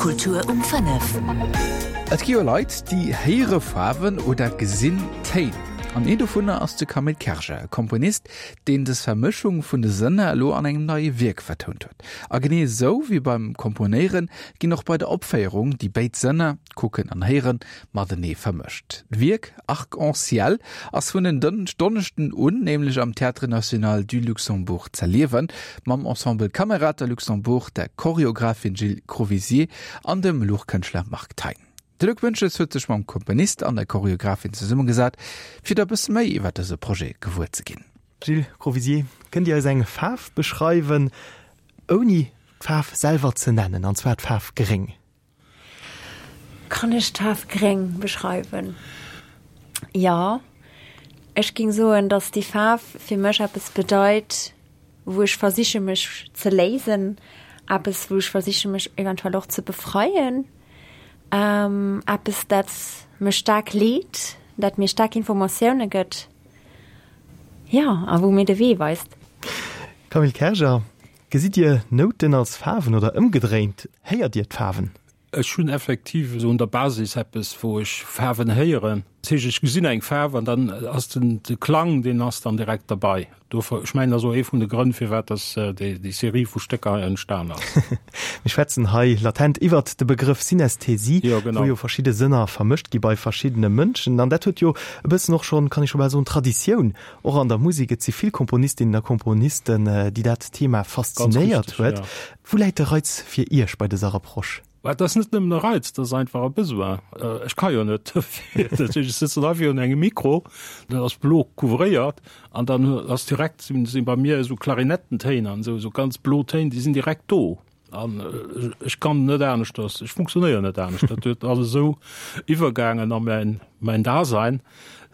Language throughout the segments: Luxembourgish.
Kultur um 5. Et gi jo Leit, déi héiere Faarwen oder gesinn Téin. An een dovunner ass de Camille Kerger, e Komponist, deen dës Vermëschung vun de Sënner elo an engem neie Wierk vertount huet. A genee esou wéi beim Komponéieren, ginn och bei der Opféierung déi béid Sënner, Kucken an Héieren, matenee vermëscht. D'Wierk Arc en ciel ass vun en Donneschden un nämlech am Théâtre National du Luxembourg z'erliewen, mam Ensemble Camerata Luxembourg, der Choreographin Jill Crovisier an dem Luuchtkënschtler Marc Thein. De Luc Boentges huet sech mam Komponist an der Choreographin zesummegesat, fir der e bësse méi iwwer dëse Projet gewuer ze ginn. Jill Crovisier, kënnt Dir eis eng Faarf beschreiwen, ouni d'Faarf selwer ze nennen, an zwar d'Faarf gréng? Kann ech d'Faarf gréng beschreiwen? Jo, ech ging soen, dass déi Faarf fir mech eppes bedeit, wou ech versiche mech ze léisen, eppes wou ech versiche mech eventuell och ze befreien, eppes dat mech staark leet, dat mir staark Informatioune gëtt, jo, a wou mir de Wee weist. Camille Kerger, Gesitt Dir Nouten als Faarwen oder ëmgedréint, héiert Dir d'Faarwen? Ech hunn effektiv esou un der Basis eppes, wou ech Faarwen héieren. Dat heescht, ech gesinn eng Faarf an dann ass den de Klang, deen ass dann direkt derbei. Dofir, ech mengen, dat ass och ee vun de Grënn, firwat dass déi déi Serie vu Stécker hei entstan ass. Mir schwätzen hei latent iwwert de Begrëff Synästhesie, Jo, genau. wou jo verschidde Sënner vermëscht gi bei verschiddene Mënschen. An dat huet jo e bëssen och schonn, kann ee scho bal soen, Traditioun Och an der Musek, et si vill Komponistinnen a Komponisten, déi dat Thema faszinéiert huet. Wou läit de Reiz fir Iech bei dëser Approche? Et ass net nëmmen e Reiz, et ass einfach e Besoin. Ech ka jo net dofir. Dat heescht, ech sëtzen hei virun engem Mikro, dat ass blo couvréiert an dann ass direkt, si bei mir esou Klarinettentéin an esou, esou ganz blo Téin, déi sinn direkt do. An ech kann net aneschters, ech funktionéieren net anescht. Dat huet alles esou iwwergaangen a mäin, mäin Dasein,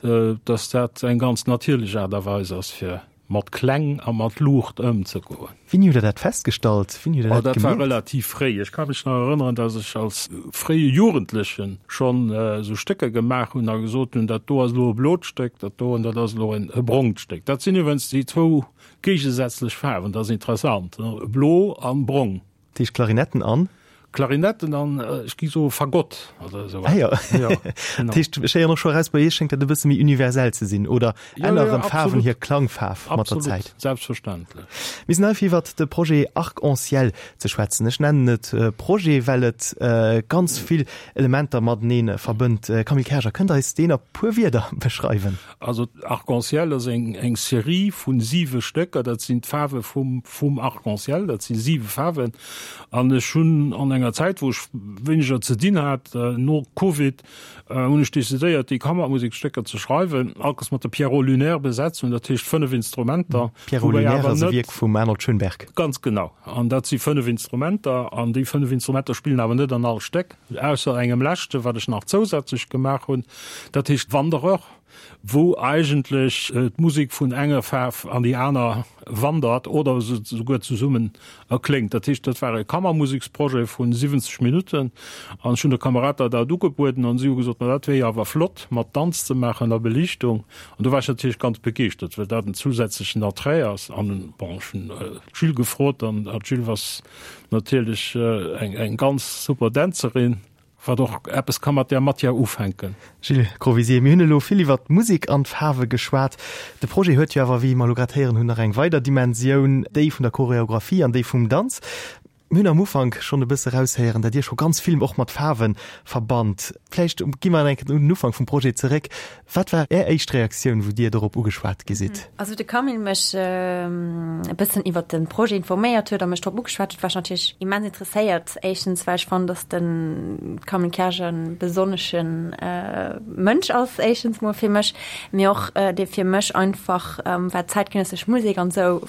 dass dat eng ganz natierlech Aart a Weis ass, fir mat Kläng a mat Luucht ëmzegoen. Wéini hutt Der dat festgestallt? Wéini hutt Der dat gemierkt? Dat war relativ fréi. Ech ka mech nach erënneren, dass ech als fréie Jugendleche schonn esou Stécker gemaach hunn a gesot hunn, dat do ass elo e blot Stéck, dat doen, dat ass elo e brongt Stéck. Dat sinn iwwregens déi zwou Géigesätzlech Faarwen, dat ass interessant, blo an brong. Dat heescht Klarinetten an? Klarinetten an, ech gi soe Fagott oder esou. Ah jo, dat heescht, ech héieren och scho eraus, bei Iech schéngt dat e bësse méi universell ze sinn, oder änneren d'Faarwen hir Klangfaarf mat der Zäit? Absolut, selbstverständlech. Mir sinn hei fir iwwert de Projet Arc en Ciel ze schwätzen. Ech nennen et Projet, well et ganz vill Elementer matenee verbënnt. Camille Kerger, kënnt Der eis deen a puer Wierder beschreiwen? Also Arc-en-ciel ass eng eng Serie vun siwe Stécker, dat sinn d'Faarwe vum vum Arc-en-ciel, dat si siwe Faarwen. An ech hunn an enger Zäit, wou ech wéineger ze dinn hat, no Covid, hunn ech decidéiert, déi Kammermusekstécker ze schreiwen, alles mat der Pierrot Lunaire Besetzung, dat heescht 5 Instrumenter. Pierrot Lunaire ass e Wierk vum Arnold Schönberg. Ganz genau. An dat si 5 Instrumenter an déi 5 Instrumenter spillen awer net an all Stéck, ausser engem leschte, wat ech nach zousätzlech gemaach hunn. Dat heescht Wanderer, wou eigentlech d'Musek vun enger Faarf an déi aner wandert oder se souguer zesummen erkléngt. Dat heescht, dat war e Kammermuseksprojet vun 70 Minutten an ech hunn der Camerata dat ugebueden an si hu gesot, ma dat wier jo awer flott mat Danz ze maachen a Beliichtung. An do war ech natierlech ganz begeeschtert, well dat en zusätzlechen Attrait ass. An bon, ech hunn d'Jill gefrot an d'Jill ass natierlech eng ganz super Dänzerin. Wat och eppes ka mat där Matière ufänken. Gilles Crovisier, mir hunn elo vill iwwert d'Musek an d'Faarwe geschwat. De Projet huet jo awer, wéi mer elo grad héieren hunn, nach eng weider Dimensioun, déi vun der Choreographie an déi vum Danz. Mir hunn am Ufank schonn e bësse raushéieren, datt Dir scho ganz vill och mat Faarwe verbannt. Vläicht gi mer eng Kéier un den Ufank vum Projet zeréck. Wat war Är éischt Reaktioun, wou Dir dorop ugeschwat gi sidd? Also wou de Camille mech e bëssen iwwert de Projet informéiert huet a mech drop ugeschwat huet, war ech natierlech immens interesséiert. Éischtens well ech fannen, datt de Camille Kerger e besonnesche Mënsch ass, éischtens mol fir mech, mee och dee fir mech einfach, wat zäitgenëssesch Musek an esou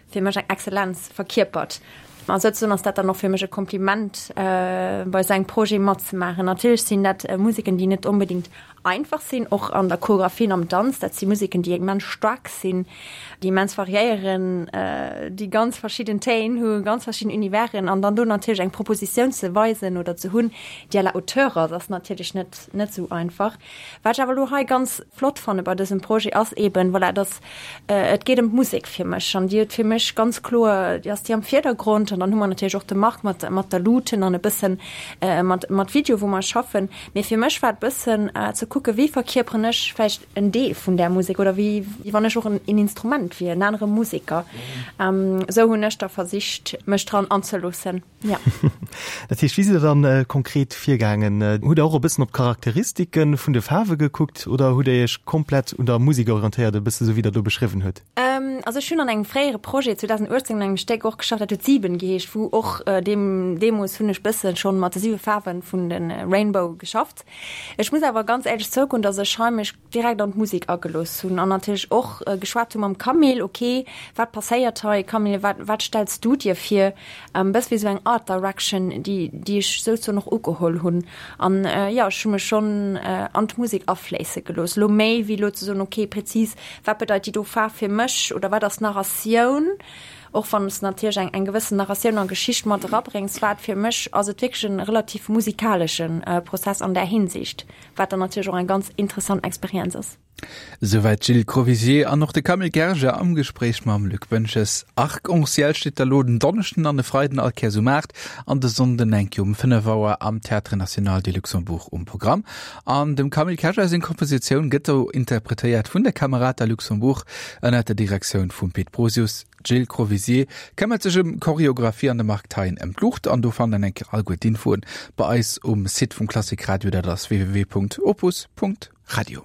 fir mech eng Exzellenz verkierpert. A souzesoen ass dat dann och fir mech e Kompliment, bei esou engem Projet matzemaachen. Natierlech sinn dat Museken, déi net onbedéngt einfach sinn, och an der Choreografie an am Danz. Dat si Museken, déi immens staark sinn, déi immens variéieren, déi ganz verschidden Téin hu, ganz verschidden Universen. An dann do natierlech eng Propositioun ze weisen oder ze hunn, déi à la hauteur ass, ass natierlech net, net esou einfach. Wat ech awer elo hei ganz flott fanne bei dësem Projet ass eben, voilà, dass et geet ëm d'Musek fir mech an déi huet fir mech ganz kloer, déi ass déi am Virdergrond. An dann hu mer natierlech och de Marc mat, mat der Luuten an e bëssen mat, mat Video, wou mer schaffen. Mee fir mech war et bëssen ze kucken, wéi verkierperen ech vläicht en Deel vun där Musek oder wéi, wéi wann ech och en Instrument wier, en anere Museker. Esou hunn ech da versicht, mech dran anzeloossen. Ja. Dat heescht, wéi sidd Der dann konkret virgaangen? Hutt Der och e bëssen op d'Charakteristike vun de Faarwe gekuckt oder hutt Der Iech komplett un der Musek orientéiert, e bësse sou wéi Der do beschriwwen hutt? Also ech hunn an engem fréiere Projet 2018 un engem Stéck och geschafft, dat huet Sieben geheescht, wou och deem, deemools hunn ech bësse schonn mat de siwe Faarwe vun de Rainbow geschafft. Ech muss awer ganz éierlech zougoen, datt ech hei mech direkt an d'Musek agelooss hunn an natierlech och geschwat hu mam Camille, ok, wat passéiert hei Camille, wat, wat stells du dir vir? E bësse wéi esou eng Art Direction, déi, déi ech souzesoen och ugeholl hunn. An jo, ech hu mech schonn an d'Musek afléisse gelooss, elo méi wéi elo ze soen, ok, prezis, wat bedeit déi do Faarf fir mech oder wat ass d'Narratioun? Och wann s de natierlech eng, eng gewëssen Narratioun a Geschicht mat erabréngs, war et fir mech, ass et wierklech e relativ musikalesche Prozess an där Hinsicht, wat dann natierlech och eng ganz interessant Experienz ass. Souwäit d'Jill Crovisier an och de Camille Gerger am Gespréich mam Luc Boentges. Arc en Ciel steet da lo den Donneschden an de Freiden all Kéiers um 8 an de Sonnden eng Kéier um 5 Auer am Théâtre National du Luxembourg um Programm. An dem Camille Kerger seng Kompositioun gëtt do interpretéiert vun der Camerata Luxembourg ënnert der Direktioun vum Pit Brosius. D'Jill Crovisier këmmert sech ëm d'Choreographie an de Marc Thein ëm d'Luucht. An do fannt der eng Kéier all guer d'Infoen bei eis um Site vum Klassik Radio, dat ass www.opus.radio.